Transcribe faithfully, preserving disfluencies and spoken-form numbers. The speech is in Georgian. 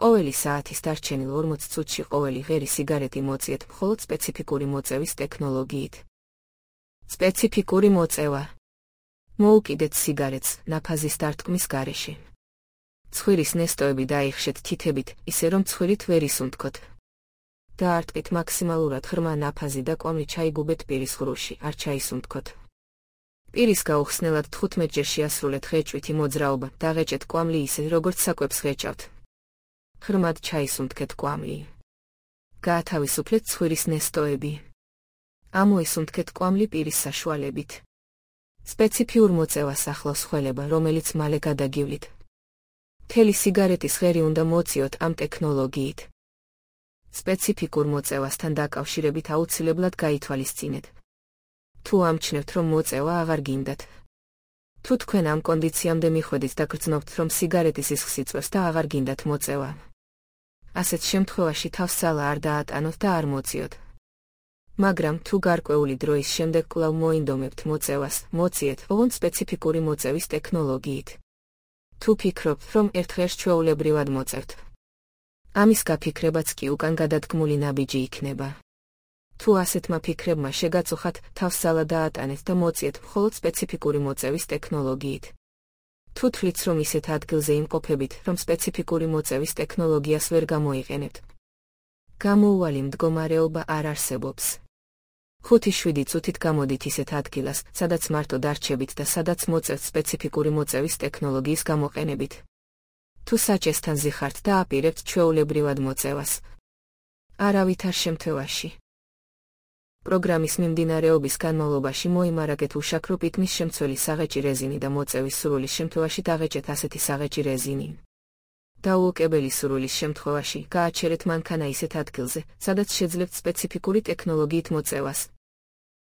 ყოველი საათის დარჩენილ ორმოც წუთში ყოველი ღერი სიგარეტი მოწიეთ მხოლოდ სპეციფიკური მოწევის ტექნოლოგიით. სპეციფიკური მოწევა. მოუკიდეთ სიგარეტს ნაფაზის დარტყმის გარეშე. ცხვირის ნესტოები დაიხშეთ თითებით, ისე რომ ცხვირით ვერ ისუნთქოთ. დაარტყით მაქსიმალურად ღრმა ნაფაზი და კვამლი ჩაიგუბეთ პირის ღრუში, არ ჩაისუნთქოთ. პირის გაუხსნელად თხუთმეტჯერ შეასრულეთ ღეჭვითი მოძრაობა, დაღეჭეთ კვამლი ისე, როგორც საკვებს ღეჭავთ. ღრმად ჩაისუნთქეთ კვამლი. გაათავისუფლეთ ცხვირის ნესტოები. ამოისუნთქეთ კვამლი პირის საშუალებით. სპეციფიურ მოწევას ახლავს ხველება, რომელიც მალე გადაგივლით. მთელი სიგარეტის ღერი უნდა მოწიოთ ამ ტექნოლოგიით. სპეციფიკურ მოწევასთან დაკავშირებით აუცილებლად გაითვალისწინეთ. თუ ამჩნევთ, რომ მოწევა აღარ გინდათ. თუ თქვენ ამ კონდიციამდე მიხვედით და გრძნობთ, რომ სიგარეტის სისხლს იწვევს და აღარ გინდათ მოწევა, ასეთ შემთხვევაში თავს ძალა არ დაატანოთ და არ მოწიოთ. მაგრამ თუ გარკვეული დროის შემდეგ კვლავ მოინდომებთ მოწევას, მოწიეთ ოღონდ სპეციფიკური მოწევის ტექნოლოგიით. თუ ფიქრობთ, რომ ერთხელ ჩვეულებრივად მოწევთ, ამის გაფიქრებაც კი უკან გადადგმული ნაბიჯი იქნება. თუ ასეთმა ფიქრებმა შეგაწუხათ, თავს ძალა დაატანეთ და მოწიეთ მხოლოდ სპეციფიკური მოწევის ტექნოლოგიით. თუ თვლით, რომ ისეთ ადგილზე იმყოფებით, რომ სპეციფიკური მოწევის ტექნოლოგიას ვერ გამოიყენებთ, გამოუვალი მდგომარეობა არ არსებობს. ხუთი შვიდი წუთით გამოდით ისეთ ადგილას, სადაც მარტო დარჩებით და სადაც მოწევთ სპეციფიკური მოწევის ტექნოლოგიის გამოყენებით. თუ საჭესთან ზიხართ და აპირებთ ჩვეულებრივად მოწევას, არავითარ შემთხვევაში. პროგრამის მიმდინარეობის განმავლობაში მოიმარაგეთ უშაქრო პიტნის შემცველი საღეჭი რეზინი და მოწევის სურვილის შემთხვევაში დაღეჭეთ ასეთი საღეჭი რეზინი. დაუოკებელი სურვილის შემთხვევაში გააჩერეთ მანქანა ისეთ ადგილზე, სადაც შეძლებთ სპეციფიკური ტექნოლოგიით მოწევას.